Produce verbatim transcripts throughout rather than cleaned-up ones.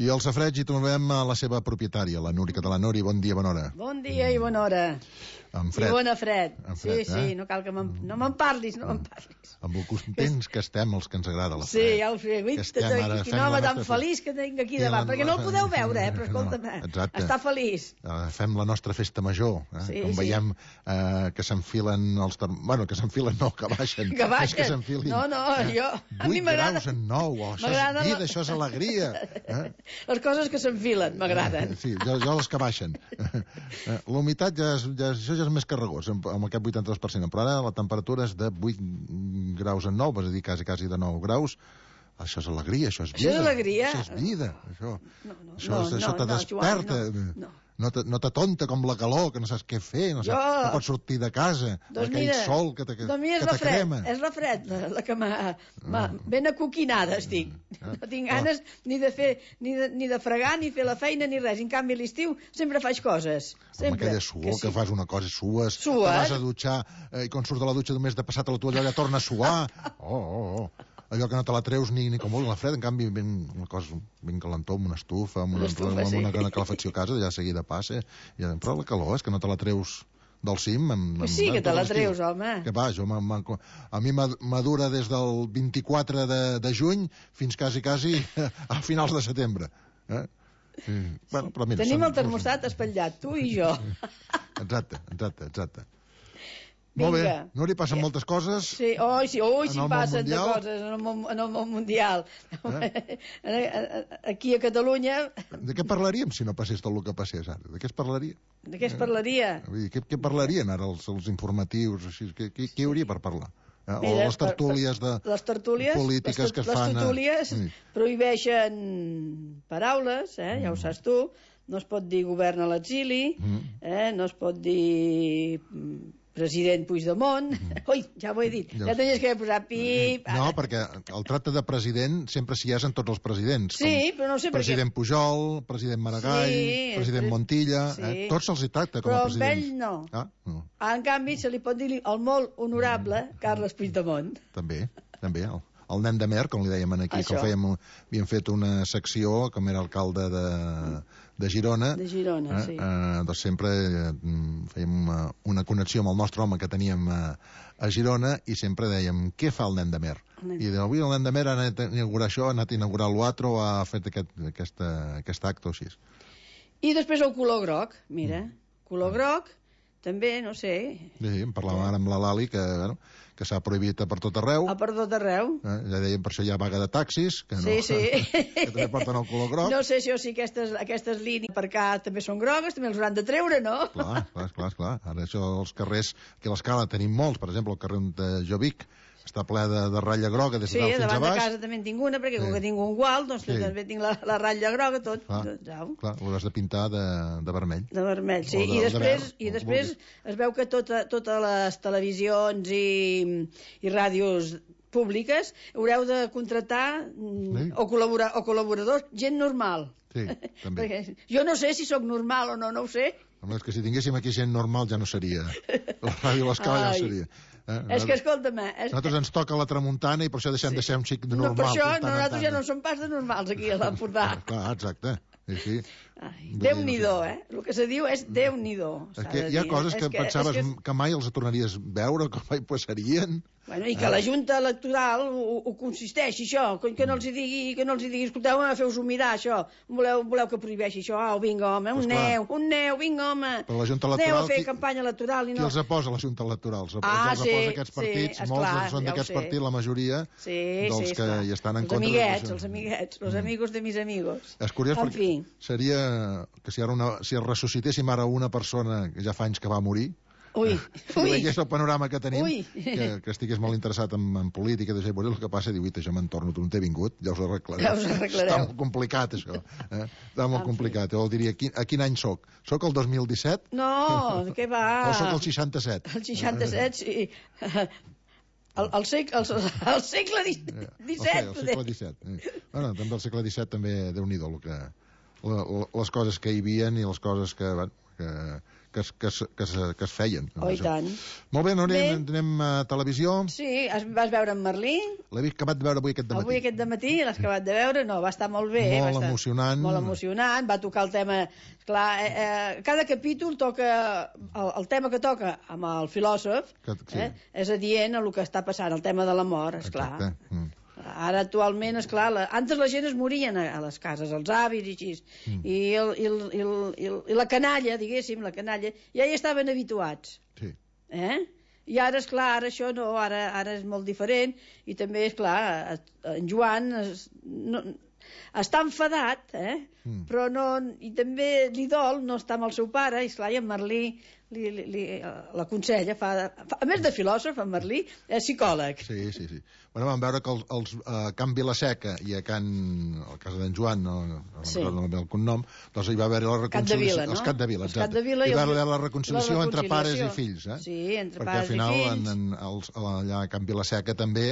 I al safareig hi trobem a la seva propietària, la Núria Català. Núria, bon dia, bona hora. Bon dia i bona hora. En fred. I bona fred. En fred, sí, sí, eh? no cal que me'n no me'n parlis, no me'n parlis. Amb el contents que estem, els que ens agrada la fred. Sí, ja ho sé. Ui, quin home tan feliç que tinc aquí davant, perquè no el podeu veure, eh? Però escolta'm, Exacte. està feliç. Uh, fem la nostra festa major, eh? Sí, Com sí. veiem uh, que s'enfilen els... Term... Bueno, que s'enfilen no, que baixen. Que baixen. Que s'enfilin. No, no, jo... A mi vuit m'agrada. graus en nou, oh, això és vida, la... això és alegria. Eh? Les coses que s'enfilen m'agraden. Sí, jo, jo les que baixen. L'humitat ja és, ja, això ja és més carregós, amb, amb aquest vuitanta-dos per cent. Però ara la temperatura és de vuit graus en nou, és a dir, quasi, quasi de nou graus. Això és alegria, això és vida. Això és alegria. Això és vida. Això, no, no, això, no, això no, te no, desperta. Joan, no, no. No te, no t'atonta com la calor, que no saps què fer, no, saps, jo... no pots sortir de casa, doncs aquell mira, sol que te, que, doncs mira, que te fred, crema. És la fred, la, la que m'ha... Ben acoquinada estic. Mm. No tinc ganes ni de fer, ni de, ni de fregar, ni fer la feina, ni res. En canvi, a l'estiu sempre faig coses. Sempre. Amb aquella suor que, sí. que fas una cosa, sues, Sues. te vas a dutxar, eh, i quan surts de la dutxa només de passar a la toalla ja torna a suar. Oh, oh, oh. Allò que no te la treus ni, ni com vol, la fred, en canvi ben, una cosa ben calentó, amb una estufa, amb una, estufa, amb una, sí. una calefacció a casa, ja seguida passa, ja, però la calor és que no te la treus del cim. Amb, pues sí, amb, que te la treus, home. Que va, jo, a mi m'adura des del vint-i-quatre de, de juny fins quasi, quasi a finals de setembre. Eh? Sí. Bueno, però mira, tenim som, el termostat espatllat, tu i jo. Exacte, exacte, exacte. Vinga. Molt bé, Núria, passen ja. moltes coses. Sí, oi, sí, oi, sí passen de coses en el món, en el món mundial. Eh? Aquí a Catalunya... De què parlaríem si no passés tot el que passés ara? De què es parlaria? De què es parlaria? Eh? Què, què parlarien ara els, els informatius? Així? Què, què, què hi hauria per parlar? Eh? O Mira, les tertúlies de les tertúlies, polítiques les, que es les fan... Les tertúlies a... prohibeixen paraules, eh? Ja ho saps tu. No es pot dir govern a l'exili, mm. eh? No es pot dir... president Puigdemont, mm. ui, ja ho he dit, ja, ja tenies que haver posat pip... No, perquè el tracte de president sempre s'hi és en tots els presidents. Sí, però no sé per què... President Pujol, president Maragall, sí, president Montilla, sí. eh? Tots se'ls hi tracta com a presidents. Però amb ell no. Ah, no. En canvi, se li pot dir el molt honorable Carles Puigdemont. També, també, el, el nen de Mer, com li dèiem aquí, Això. que fèiem, havíem fet una secció, com era alcalde de, de Girona, de Girona, eh, sí. eh, doncs sempre eh, fèiem una, una connexió amb el nostre home que teníem a, a Girona i sempre dèiem, què fa el nen de Mer? I avui el nen de Mer ha anat a inaugurar això, ha anat a inaugurar l'altre o ha fet aquest, aquesta, aquest acte o així. I després el color groc, mira, mm. color groc, també, no sé... Sí, en parlàvem ara amb la Lali, que, bueno, que s'ha prohibit a per tot arreu. A per tot arreu. Eh, ja dèiem, per això hi ha vaga de taxis, que, no, sí, sí. que també porten el color groc. No sé si, o si aquestes, aquestes línies per cá també són grogues, també els hauran de treure, no? Clar, clar, clar, clar. Ara això, els carrers, que a l'escala tenim molts, per exemple, el carrer de Jovic, està ple de, de ratlla groga des de sí, dalt fins a baix. Sí, davant de casa també en tinc una, perquè sí. com que tinc un gual, doncs sí. també tinc la, la ratlla groga, tot. Clar, clar, l'hauràs de pintar de, de vermell. De vermell, sí. De, I després, de i després es veu que tota, totes les televisions i, i ràdios públiques haureu de contractar sí. o, col·laborar, o col·laboradors, gent normal. Sí, també. Perquè jo no sé si sóc normal o no, no ho sé. Home, és que si tinguéssim aquí gent normal ja no seria. La ràdio a l'escala ja no seria. Eh? És que, escolta'm... És... Nosaltres ens toca la tramuntana i per això deixem sí. de ser un xic de normal. No, per això no, nosaltres ja no som pas de normals aquí a l'Empordà. Clar, exacte. Sí, sí. Ai, Déu-n'hi-do, eh? El que se diu és Déu-n'hi-do. És que hi ha coses que, que pensaves que, que mai els tornaries a veure, que mai passarien. Bueno, i que la Junta Electoral ho, ho consisteix, això, que no els hi digui, que no els hi digui, escolteu, feu-vos mirar, això, voleu, voleu que prohibeixi això, au, vinga, home, un pues neu, un neu, vinga, home, però la Junta Electoral, aneu a fer qui, campanya electoral i no... Qui els posa la Junta Electoral? Els, ah, els sí, posa aquests partits, sí, molts esclar, són d'aquests ja partits, la majoria sí, dels sí, que esclar. hi estan en els contra. Amiguets, els amiguets, els amigos de mis amigos. És curiós en perquè fi. Seria que si ara una, si ressuscitéssim ara una persona que ja fa anys que va morir, Ui, si ui. veiés el panorama que tenim, que, que estigués molt interessat en, en política, de ser el que passa, diu, això me'n torno, tu no t'he vingut, ja us ho arreglareu. Ja us arreglareu. Està molt complicat, això. Eh? Està molt en complicat. Jo diria, quin, a quin any soc? Soc el dos mil disset? No, què va? O soc el seixanta-set? El seixanta-set, sí. El, el, segle, el, el segle disset. El, el segle disset. Eh. Bueno, també el segle disset, també, Déu-n'hi-do, el que... les coses que hi havia i les coses que, bueno, que, que, es, que, es, que, es, que es feien. Oh, i tant. Molt bé, Núria, anem a televisió. Sí, vas veure en Merlí? L'he acabat de veure avui aquest dematí. Avui aquest dematí l'has acabat de veure? No, va estar molt bé. Molt va estar emocionant. Molt emocionant, va tocar el tema... Clar, eh, eh, cada capítol toca... El, el tema que toca amb el filòsof que, sí. eh, és adient a el que està passant, el tema de la mort, esclar. Exacte. Mm. Ara, actualment, esclar, la... antes la gent es morien a, a les cases, els avis i així, mm. I, el, i, el, i, el, i, el, i la canalla, diguéssim, la canalla, ja hi estaven habituats. Sí. Eh? I ara, esclar, ara això no, ara, ara és molt diferent, i també, esclar, en Joan es, no, està enfadat, eh? Mm. Però no, i també li dol no estar amb el seu pare, i esclar, i en Merlí li, li, li, l'aconsella, fa, fa, a més de filòsof, en Merlí és psicòleg. Sí, sí, sí. Bueno, vam veure que els, els a Can Vilaseca i a Can... a casa d'en Joan, no, no sí. recordo el cognom, doncs hi va haver la reconciliació... Vila, no? Els Capdevila, exacte. Capdevila hi va haver la, la reconciliació, la reconciliació entre pares i fills, eh? Sí, entre perquè pares i fills. Perquè al final, en, en, els, allà a Can Vilaseca també...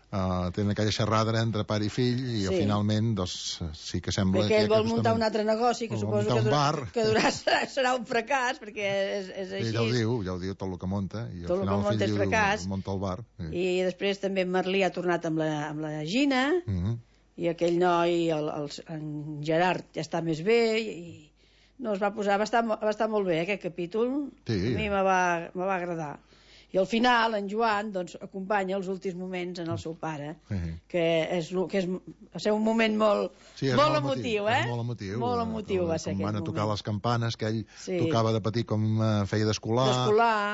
Uh, tenen aquella xerrada entre pare i fill i sí. finalment doncs, sí que sembla perquè que... ell vol muntar un altre negoci que suposo que, durà, que durà, serà, serà un fracàs perquè és, és així. Sí, ja ho diu, ja ho diu tot el que monta i tot al final el fill diu, fracàs. Munta el bar. Sí. I després també en Merlí ha tornat amb la, amb la Gina uh -huh. i aquell noi, el, el, en Gerard ja està més bé i no, es va posar, va estar, va estar molt bé aquest capítol, sí. A mi me va, me va agradar. I al final, en Joan, doncs, acompanya els últims moments en el seu pare, uh-huh. que és, que és va ser un moment molt, sí, molt, molt emotiu, emotiu, eh? Molt emotiu. Molt emotiu va ser aquell moment. Van a tocar moment. les campanes, que ell sí. tocava de petit com uh, feia d'escolar,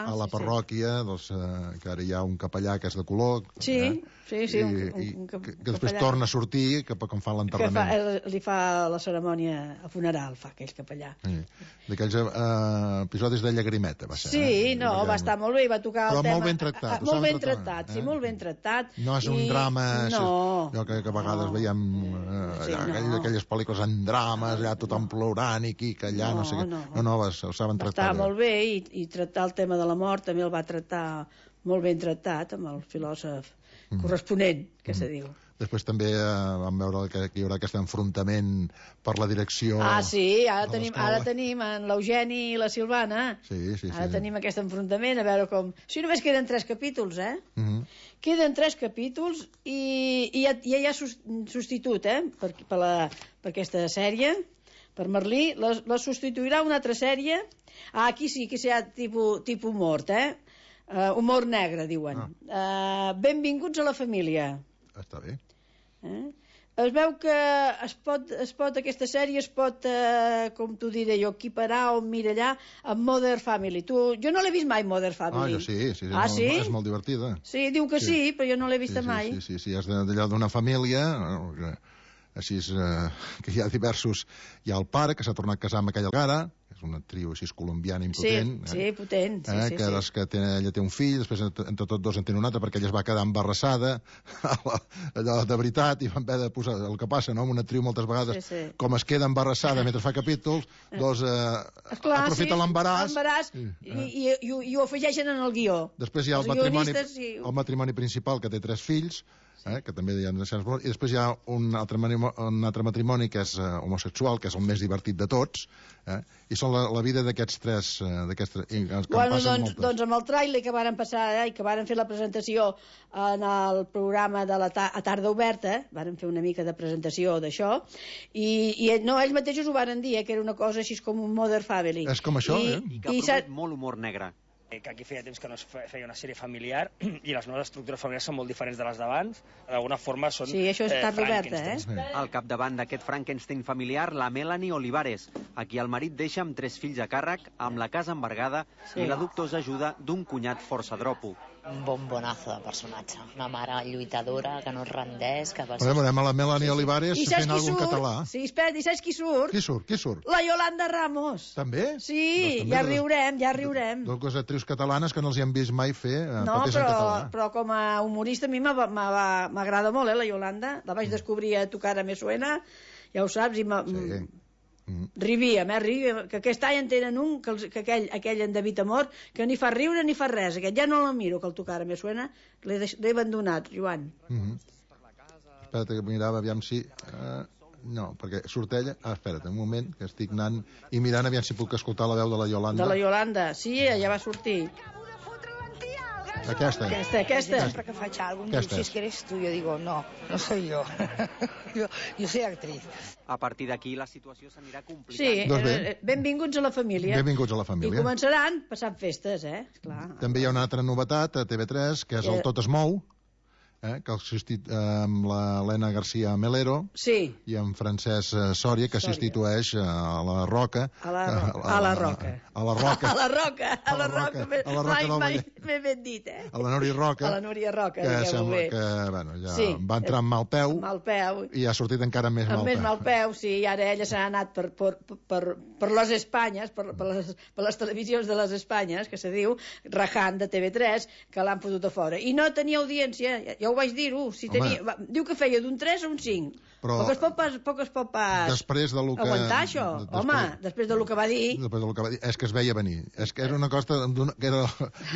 a la sí, parròquia, sí. doncs, uh, que ara hi ha un capellà que és de color. Sí, eh? sí, sí. I, un, un, i un que, que després torna a sortir, que com fa l'enterrament. Que fa, li fa la cerimònia a funeral, fa aquell capellà. Sí. D'aquells uh, episodis de llagrimeta, va ser. Sí, eh? no, va estar molt bé, va tocar Però el tema... molt ben tractat. Ah, molt ben tractat, eh? sí, molt ben tractat. No és un I... drama... No. Allò que, que a vegades no. veiem eh, sí, allà, no. aquelles pel·lícules en drames, allà tothom plorant i aquí, que allà, no, no sé què. No, no, no ho saben tractar. Va estar molt bé i, i tractar el tema de la mort també el va tractar molt ben tractat amb el filòsof mm. corresponent, que mm. se diu. Després també eh, vam veure que hi haurà aquest enfrontament per la direcció... Ah, sí, ara tenim, ara tenim en l'Eugeni i la Silvana. Sí, sí, sí. Ara tenim aquest enfrontament, a veure com... Si només queden tres capítols, eh? Uh -huh. Queden tres capítols i, i ja, ja hi ha substitut, eh? Per, per, la, per aquesta sèrie, per Merlí. La, la substituirà una altra sèrie. Ah, aquí sí, aquí sí hi ha tipus, tipus mort, eh? Uh, humor negre, diuen. Ah. Uh, benvinguts a la família. Està bé. Eh? Es veu que es pot, es pot, aquesta sèrie es pot, eh, com t'ho diré jo, equiparar o mirallar amb Modern Family. Tu, jo no l'he vist mai, Modern Family. Ah, jo sí, sí, ah, és, sí? Molt, és molt divertida. Sí, diu que sí, sí però jo no l'he vista sí, sí, mai. Sí, sí, sí, és d'allò d'una família, així és, eh, que hi ha diversos... Hi ha el pare, que s'ha tornat a casar amb aquella cara, és una trio així colombiana impotent. Sí, eh? sí, potent. Sí, eh? sí, que sí. que té, ella té un fill, després entre tots dos en tenen un altre, perquè ella es va quedar embarassada, allò de veritat, i van haver de posar... El que passa, no?, amb una trio moltes vegades, sí, sí. com es queda embarassada mentre fa capítols, doncs eh, Esclar, aprofita sí, l'embaràs... l'embaràs i, i, i, i ho afegeixen en el guió. Després hi ha el matrimoni, i... el matrimoni principal, que té tres fills, Eh, que també hi ha i després hi ha un altre, un altre matrimoni que és uh, homosexual, que és el més divertit de tots, eh, i són la, la vida d'aquests tres, uh, d'aquests tres que bueno, doncs, doncs amb el tràiler que varen passar eh, i que varen fer la presentació en el programa de la ta a tarda oberta, varen fer una mica de presentació d'això, i, i no, ells mateixos ho varen dir, eh, que era una cosa així com un Modern Family. És com això, I, eh? I que promet molt humor negre. Que aquí feia temps que no es feia una sèrie familiar i les noves estructures familiars són molt diferents de les d'abans. D'alguna forma són... Sí, això és eh, tarda oberta, eh? Sí. Al capdavant d'aquest Frankenstein familiar, la Melanie Olivares, a qui el marit deixa amb tres fills a càrrec, amb la casa embargada sí. i la dubtosa ajuda d'un cunyat força dropo. Un bombonazo de personatge. Una mare lluitadora, que no es rendeix... Que va ser... Veurem a la Melanie Olivares sí, sí. fent alguna cosa en català. Sí, espera, i saps qui surt? Qui surt? Qui surt? La Yolanda Ramos. També? Sí, doncs, també ja dos, riurem, ja riurem. Dues actrius catalanes que no els hi han vist mai fer eh, no, papers però, en català. però com a humorista a mi m'agrada molt, eh, la Yolanda. La vaig descobrir a Tu cara me suena, ja ho saps, i sí. Mm. Rivíem, eh, rivíem, que aquest any en tenen un, que, els, que aquell, aquell en David Amor, que ni fa riure ni fa res, aquest ja no la miro, que el Tu cara me suena, l'he abandonat, Joan. Mm -hmm. Espera't que mirava, aviam si... Uh, No, perquè surt ella... Ah, espera't, un moment, que estic anant i mirant aviam si puc escoltar la veu de la Yolanda. De la Yolanda, sí, ella va sortir. Aquesta. Aquesta, aquesta. Siempre que faig algo, diu, si es que eres tú, yo digo, no, no soy yo. yo, yo soy actriz. A partir d'aquí la situació s'anirà complicant. Sí, Doncs bé. eh, benvinguts a la família. Benvinguts a la família. I començaran passant festes, eh? Esclar. També hi ha una altra novetat a T V tres, que és el Tot es mou, eh, que substitu... amb l'Helena García Melero Sí. i en Francesc Sòria, que Sòria. substitueix a la Roca. A la, a la Roca. A la Roca. A la Roca, a la Roca. A la Roca Mai, del mai Vallès. m'he ben dit, eh? A la Núria Roca. A la Núria Roca, que digueu-ho sembla bé. que, bueno, ja Sí. va entrar amb mal peu Mal peu. i ha sortit encara amb més mal Amb peu. més mal peu, sí, i ara ella s'ha anat per, per, per, per les Espanyes, per, per, les, per les televisions de les Espanyes, que se diu, rajant de T V tres, que l'han fotut a fora. I no tenia audiència, ja, ja ho vaig dir-ho, si tenia, va, diu que feia d'un tres a un cinc. Però poc es pot pas, poc es pot pas després de lo que, aguantar això. després, Home, després de lo que va dir... Després de lo que va dir, és que es veia venir. És que era una cosa d'una, que era,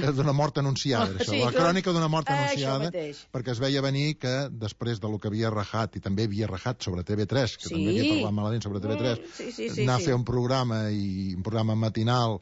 era d'una mort anunciada, Oh, això. sí, la clar. crònica d'una mort Eh, això anunciada, mateix. perquè es veia venir que després de lo que havia rajat, i també havia rajat sobre T V tres, que Sí. també havia parlat malament sobre T V tres, Mm, sí, sí, sí, anar sí. a fer un programa, i un programa matinal,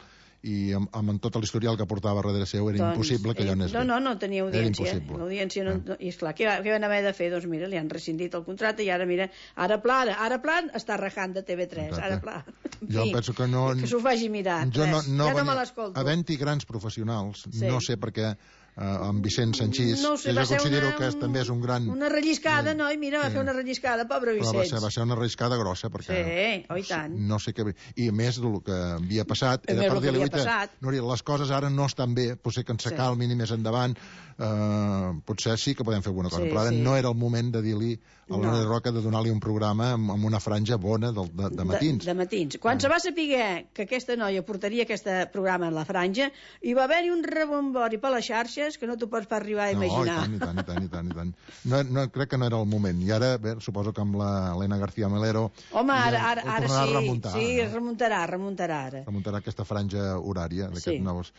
i amb, amb tot l'historial que portava darrere seu, era Doncs, impossible que allò eh, anés no, bé. no, no tenia Era audiència. impossible. L'audiència no, Eh. no, i esclar, què, va- què van haver de fer? Doncs mira, li han rescindit el contracte i ara, mira, ara Plan, ara Plan està rajant de T V tres, Exacte. ara Plan. En Jo fi, penso que no... Que s'ho faci mirar. Jo no, res. no ja no venia- me l'escolto. Havent-hi grans professionals, Sí. no sé per què eh, amb Vicent Sanchís, No ho sé, que va jo ser considero una- que és, també és un gran... Una relliscada, Sí. no? I mira, va Sí. fer una relliscada, pobre Però va Vicenç. ser, va ser una arriscada grossa, perquè... Sí, oh, i tant. No sé què... I a més del que havia passat, A era més per del que dir-li, havia "Uita, passat." Núria, les coses ara no estan bé, potser que ens Sí. s'acalmin i més endavant, eh, potser sí que podem fer alguna cosa, Sí, però ara sí. no era el moment de dir-li a la No. Núria Roca de donar-li un programa amb, amb una franja bona de, de, de matins. De, de matins. Quan se va saber que aquesta noia portaria aquest programa en la franja, hi va haver-hi un rebombori per les xarxes que no t'ho pots pas arribar a imaginar. No, i tant, i tant, i tant, i tant, i tant. No, no, crec que no era el moment. I ara, bé, suposo que amb la Helena García Melero... Home, ara, ja ara, ho ara tornarà sí, a remuntar, sí, no? remuntarà, remuntarà ara. Remuntarà aquesta franja horària d'aquests Sí. nous...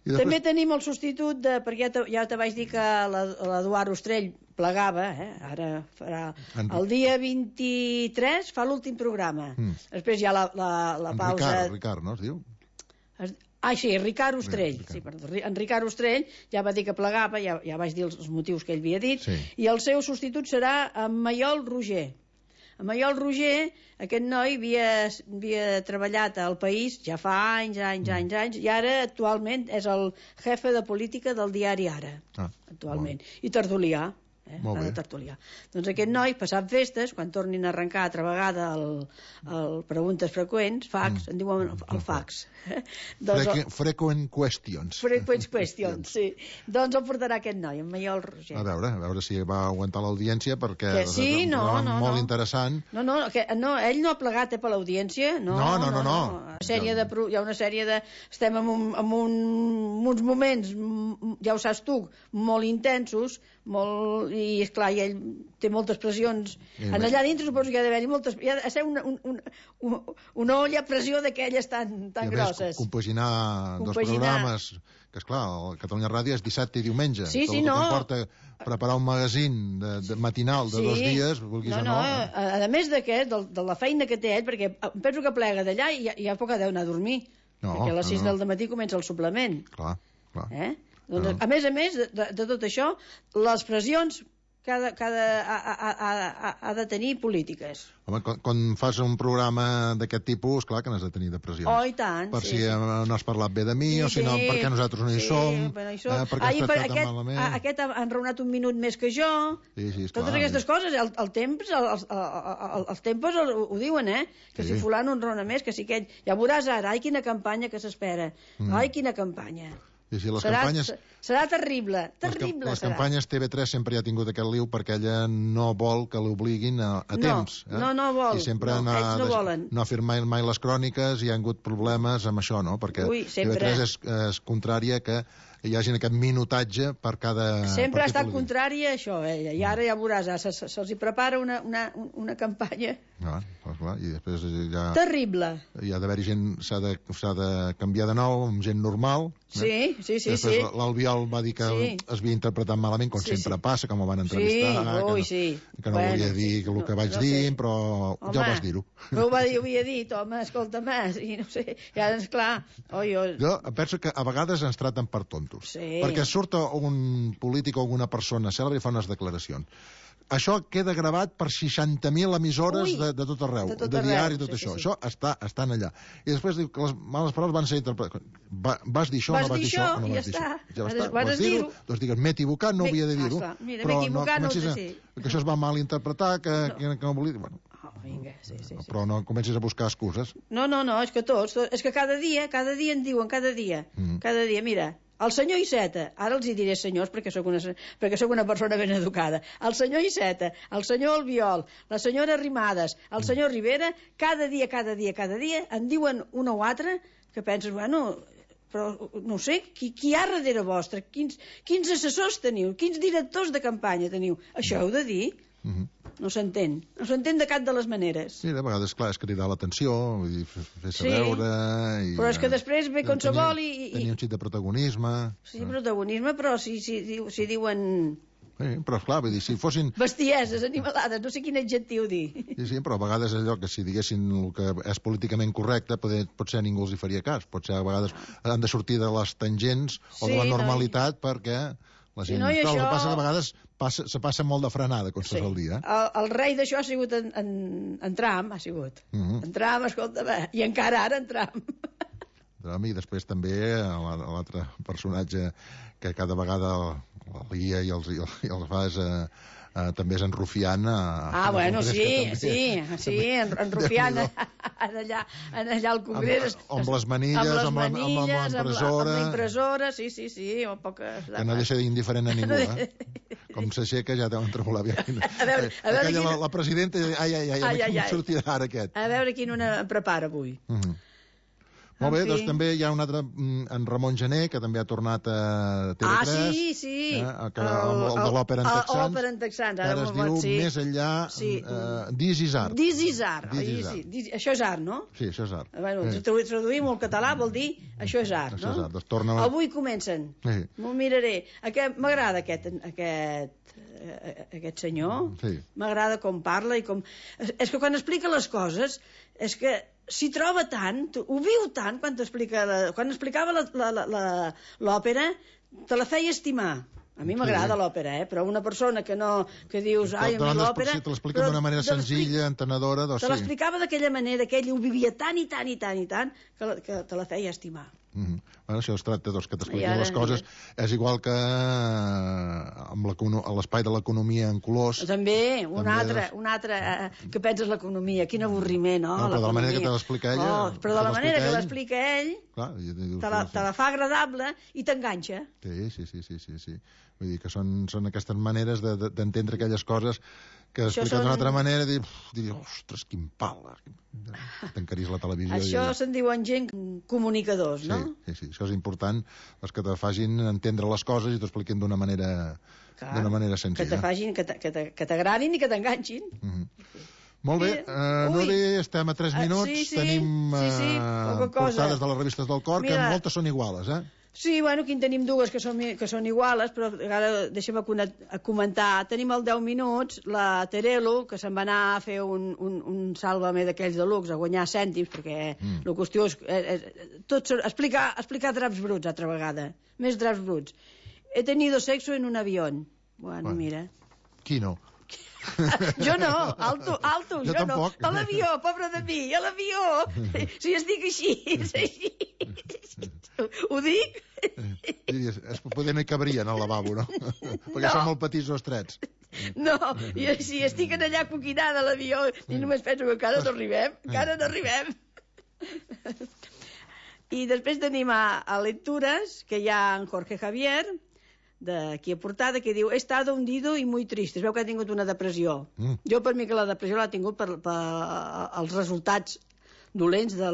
I També després, tenim el substitut, de, perquè ja te, ja te vaig dir que la- l'Eduard Ostrell plegava, eh? Ara farà... En- El dia vint-i-tres fa l'últim programa. Mm. Després hi ha la, la, la en pausa... Ricard, Ricard, no es diu? Es- Ah, sí, Ricard Ostrell. Ricard. Sí, perdó. En Ricard Ostrell ja va dir que plegava, ja, ja vaig dir els, els motius que ell havia dit, Sí. i el seu substitut serà en Maiol Roger. En Maiol Roger, aquest noi havia, havia treballat al País ja fa anys, anys, Mm. anys, anys, i ara actualment és el jefe de política del diari Ara, Ah, actualment. I tertulià. Eh? Molt Va de bé. tertulià. Doncs aquest noi, passat festes, quan tornin a arrencar altra vegada el, el Preguntes Freqüents, fax, en diuen el fax. Eh? Doncs el- Frequ frequent questions. Freqüents Questions, sí. Doncs el portarà aquest noi, en Maiol Roger. A veure, a veure si va aguantar l'audiència, perquè Que sí, és un no, programa no, molt no. interessant. No, no, que, no, ell no ha plegat eh, per l'audiència, no, No, no, no, no. Una sèrie de, pro- hi ha una sèrie de... Estem en, un, en, un, en uns moments, mm, ja ho saps tu, molt intensos, molt, i esclar, i ell té moltes pressions. I En més- allà dintre suposo que hi ha d'haver-hi moltes... Hi ha de ser una, un, un, un, una olla a pressió d'aquelles tan, I tan a més, grosses. compaginar, dos Compaginar. programes, que esclar, el Catalunya Ràdio és dissabte i diumenge. Sí, tot sí, el que no. comporta preparar un magazín de, de matinal de Sí. dos dies, vulguis no, o no. no, a, a més d'aquest, de, de la feina que té ell, perquè em penso que plega d'allà i ja, ja poc ha d'anar a dormir, No, perquè a les no, sis no. del matí comença el suplement. Clar, clar. Eh? Doncs, No. a més a més de, de, de tot això, les pressions cada, cada ha, ha, ha, ha, ha de tenir polítiques. Home, quan, quan fas un programa d'aquest tipus, clar que n'has de tenir depressions. Oh, i tant, Per sí, si sí. eh, no has parlat bé de mi, o si no, perquè nosaltres no hi sí, som, però no hi som. eh, perquè Ai, has per tractat aquest, malament. a, aquest ha ha enraonat un minut més que jo. Sí, sí, esclar. Totes aquestes coses, el, el temps, el, el, el, els tempos el, ho diuen, eh? Que Sí. si fulano enraona més, que si aquell... Ja veuràs ara, ai, quina campanya que s'espera. Mm. Ai, quina campanya. I si les serà, campanyes... serà terrible, Les, cam- terrible les serà. campanyes T V tres sempre ha tingut aquest liu perquè ella no vol que l'obliguin a, a No, temps. Eh? no, no vol, I sempre no, no, ells no ha, volen. no ha firmat mai les cròniques i hi ha hagut problemes amb això, no? Perquè Ui, sempre. T V tres és, és contrària que que hi hagi aquest minutatge per cada... Sempre ha estat contrari a això, ella, i ara ja veuràs, se'ls se, se prepara una, una, una campanya... Ah, doncs clar, i després ja... Terrible. Hi ha d'haver-hi gent, s'ha de, s'ha de canviar de nou, amb gent normal. Sí, sí, sí. Després sí. l'Albiol va dir que sí. es havia interpretat malament, com sí, sempre sí. passa, com ho van entrevistar, sí, que, ui, no, sí. que no bueno, volia dir el no, que vaig no dir, sé. però home, ja ho vas dir-ho. Però ho, va dir, ho havia dit, home, escolta més, i no sé, i ara, esclar... Oi, oi. Jo penso que a vegades ens traten per tontos, sí. perquè surt un polític o alguna persona cèlebre i fa unes declaracions. Això queda gravat per seixanta mil emissores Ui, de, de tot arreu, de, tot de diari i tot sí, això. Sí, sí. Això està, estan allà. I després diu que les males paraules van ser interpretades. Va, vas dir això, vas no vas dir això, no ja vas dir està. això. Ja està. Vas vas dir-ho, doncs digues, m'he equivocat, no havia de dir-ho. Ah, mira, m'he equivocat, no, no, sí. Que això es va mal interpretar, que no, que, que no volia... Bueno, oh, vinga, sí, sí, sí. Però no comencis a buscar excuses. No, no, no, és que tots, tots és que cada dia, cada dia en diuen, cada dia, mm. cada dia, mira... El senyor Iceta, ara els hi diré senyors perquè sóc una, perquè sóc una persona ben educada, el senyor Iceta, el senyor Albiol, la senyora Arrimadas, el senyor Rivera, cada dia, cada dia, cada dia, en diuen una o altra que penses, bueno, però no sé, qui, qui hi ha darrere vostre? Quins, quins assessors teniu? Quins directors de campanya teniu? Això heu de dir? Mm-hmm. No s'entén, no s'entén de cap de les maneres. Sí, de vegades, clar, és cridar l'atenció, fer-se sí, veure... I, però és que després ve com se vol i... Tenir un xic de protagonisme... Sí, protagonisme, però si, si, si diuen... Sí, però esclar, vull dir, si fossin... Bestieses, animalades, no sé quin adjectiu dir. Sí, sí, però a vegades allò que si diguessin el que és políticament correcte, potser, potser ningú els hi faria cas. Potser a vegades han de sortir de les tangents o sí, de la normalitat no, i... perquè... La gent, sí, no, això... El que passa que a vegades passa, se passa molt de frenada, com sí. el dia. El, el rei d'això ha sigut en, en, en Trump, ha sigut. Uh -huh. En Trump, escolta, bé, i encara ara en Trump. Trump i després també l'altre personatge que cada vegada el guia i els, i els fa és... Eh, Uh, també és en Rufián uh, ah, bueno, sí, també, sí, sí, en, en Rufián en allà, en allà al Congrés amb, amb les manilles, amb, les manilles, amb, amb, amb l'impressora amb la impressora, sí, sí, sí o poques... que no deixa d'indiferent a ningú eh? Com s'aixeca ja deuen tremolar bé. A veure, a veure quina... la, la presidenta ai, ai, ai, ai, ai, ai. sortirà ara aquest a veure quin una prepara avui. uh -huh. Molt bé, doncs també hi ha un altre, en Ramon Gené, que també ha tornat a T V tres. Ah, sí, sí. Eh, que, el, el de l'òpera en texans. L'òpera en texans, ara, ara es diu sí. Més enllà, sí. uh, This is art. This is art. This is art. Sí. Això és art, no? Sí, això és art. Bueno, sí. Traduïm al català vol dir això és art, això no? És art. Doncs torna... Avui comencen. Sí. M'ho miraré. M'agrada aquest, aquest, aquest senyor. Sí. M'agrada com parla i com... És que quan explica les coses, és que s'hi troba tant, ho viu tant quan, explica, quan explicava l'òpera, te la feia estimar. A mi m'agrada sí. l'òpera, eh? Però una persona que no... que dius, ai, a mi l'òpera... Si te l'explica d'una manera senzilla, entenedora, doncs sí. Te l'explicava d'aquella manera, que ell ho vivia tant i tant i tant i tant, que, la, que te la feia estimar. Mm -hmm. Bueno, això es tracta doncs, que t'expliquin ara... les coses. És igual que amb l'espai de l'economia en colors. També, un també altre, és... un altre eh, que penses l'economia, quin avorriment, no? no però de la manera que te l'explica ella... Oh, però de la manera que l'explica ell, clar, te, la, te la fa agradable i t'enganxa. Sí, sí, sí, sí, sí, sí. Vull dir que són, són aquestes maneres d'entendre de, de, aquelles coses que explicat són... d'una altra manera i dius, ostres, quin pal, tancaries la televisió. Això i... se'n diuen gent comunicadors, no? Sí, sí, sí, això és important, els que te facin entendre les coses i t'expliquin d'una manera, d'una manera senzilla. Que te facin, que t'agradin i que t'enganxin. Uh -huh. Molt bé, uh, Nuri, estem a tres minuts, uh, sí, sí, tenim uh, sí, sí, portades de les revistes del cor, Mira, que moltes són iguales, eh? Sí, bueno, aquí en tenim dues que són, que són iguales, però ara deixem a comentar. Tenim el deu minuts, la Terelu, que se'n va anar a fer un, un, un sàlvame d'aquells de luxe, a guanyar cèntims, perquè mm. la qüestió és... Eh, eh, tot són, explicar, explicar draps bruts, altra vegada. Més draps bruts. He tenido sexo en un avión. Bueno, bueno. Mira. Qui no? Jo no, alto, alto, jo, jo no. A l'avió, pobre de mi, a l'avió. Si es dic així, és així. Ho dic? Diries, poder no hi cabrien al lavabo, no? Perquè no. Són molt petits o estrets. No, i si estic allà coquinada a l'avió i només penso que encara no arribem, encara no arribem. I després tenim a, a lectures, que hi ha en Jorge Javier, d'aquí a portada, que diu he estado hundido y muy triste. Es veu que ha tingut una depressió. Mm. Jo per mi que la depressió l'ha tingut per, per els resultats dolents de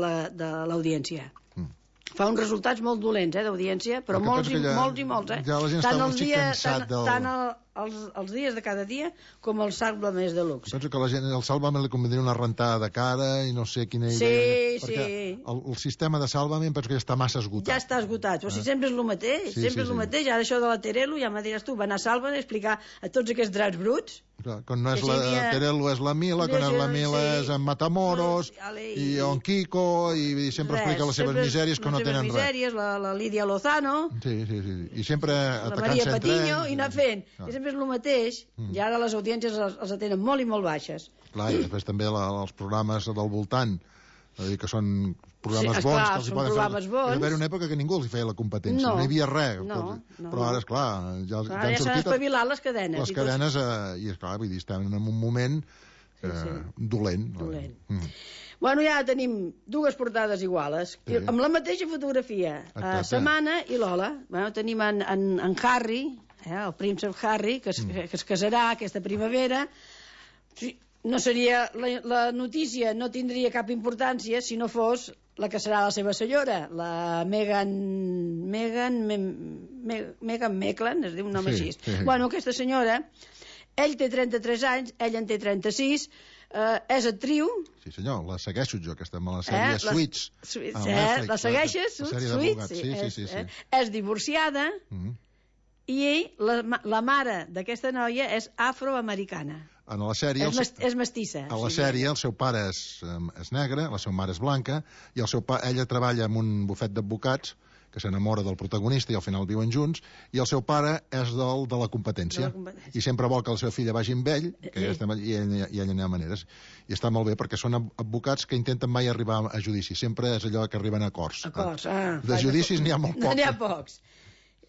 l'audiència. La, mm. fa uns resultats molt dolents, eh, d'audiència, però molts i, ja, molts i molts, eh? Ja la gent tant està molt cansat tant, del... Tant el, els, els dies de cada dia com el Sálvame és de luxe. Penso que la gent, el Sálvame li convindria una rentada de cara i no sé quina idea. Sí, perquè sí. El, el sistema de Sálvame penso que ja està massa esgotat. Ja està esgotat, però si sempre és el mateix, sí, sempre sí, és el sí. mateix. Ara això de la Terelu, ja me diràs tu, va anar a Sálvame a explicar a tots aquests draps bruts. Clar, quan no és la havia... Terelu és la Mila, quan és la Mila sí. és en Matamoros, no, i... i en Kiko, i sempre res, explica les seves misèries que no tenen misèries, res. La, la Lídia Lozano, sí, sí, sí. I sempre la Maria Patiño, i anar fent. Ah. I sempre és el mateix, mm. i ara les audiències els, els atenen molt i molt baixes. Clar, i després també la, els programes del voltant, dir que són programes sí, bons, esclar, que els hi poden programes fer. Bons. Hi va haver una època que ningú els hi feia la competència, no, no hi havia res. No, però, no, però ara, esclar, ja, clar, ja han sortit... Ja s'han espavilat les cadenes. Les cadenes, eh, i esclar, vull dir, estem en un moment eh, sí, sí. dolent. dolent. Mm. Bueno, ja tenim dues portades iguales, sí. amb la mateixa fotografia. Uh, Setmana i Lola. Bueno, tenim en, en, en Harry, eh, el príncep Harry, que es, mm. que es casarà aquesta primavera. Sí, no seria, la, la notícia no tindria cap importància si no fos la que serà la seva senyora, la Meghan Meghan Me, Me, Meghan Meklan, es diu un nom sí, així. Sí. Bueno, aquesta senyora, ell té trenta-tres anys, ell en té trenta-sis, eh, és actriu. Sí senyor, la segueixo jo, aquesta, amb la sèrie eh, Suits. Suits ah, eh, Netflix, la segueixes? La sèrie Suits? Sí, sí, sí, sí. Eh, és divorciada, mm -hmm. i ell, la, la mare d'aquesta noia és afroamericana. En la sèrie... És, mest, és mestissa. A la sí, sèrie el seu pare és, és negre, la seva mare és blanca, i el seu pa, ella treballa en un bufet d'advocats que s'enamora del protagonista i al final viuen junts, i el seu pare és del, de la competència. De la competència. I sempre vol que la seva filla vagi amb ell, que eh. estem, i, ell, i ell n'hi ha maneres. I està molt bé, perquè són advocats que intenten mai arribar a judici. Sempre és allò que arriben a acords. Acords, ah. De judicis n'hi ha molt pocs. N'hi ha pocs.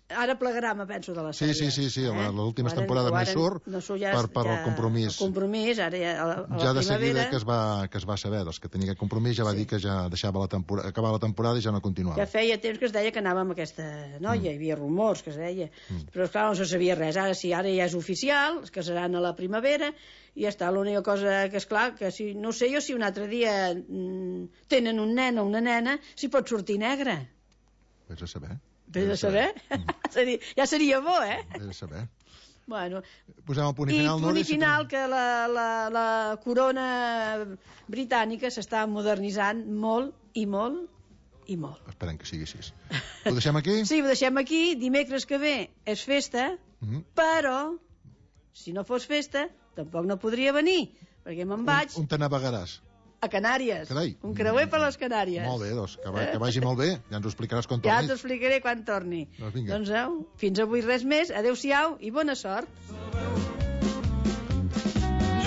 Ara plegarà, me penso, de la sèrie. Sí, sí, sí, sí. Eh? l'última temporada no surt no ja per, per ja, el compromís. El compromís, ara ja a la, a ja la de seguida que es, va, que es va saber, doncs, que tenia aquest compromís, ja va sí. dir que ja deixava la temporada, acabar la temporada i ja no continuava. Ja feia temps que es deia que anava amb aquesta noia, mm. hi havia rumors que es deia, mm. però esclar no se sabia res. Ara sí, ara ja és oficial, es casaran a la primavera, i ja està. L'única cosa que és clar, que si, no sé jo si un altre dia mm, tenen un nen o una nena, si pot sortir negre. Vés a saber. Vés a saber? Mm. Ja seria bo, eh? Vés a saber. Bueno, posem el punt i final. I punt i final que la, la, la corona britànica s'està modernitzant molt i molt i molt. Esperem que sigui així. Ho deixem aquí? Sí, ho deixem aquí. Dimecres que ve és festa, mm-hmm. però si no fos festa tampoc no podria venir, perquè me'n vaig... On, on te navegaràs? A Canàries. Carai. Un creuer per les Canàries. Molt bé, doncs, que, va, que vagi molt bé. Ja ens ho explicaràs quan tornis. Ja t'ho explicaré quan torni. Doncs vinga. Doncs, au, fins avui res més. Adéu-siau i bona sort.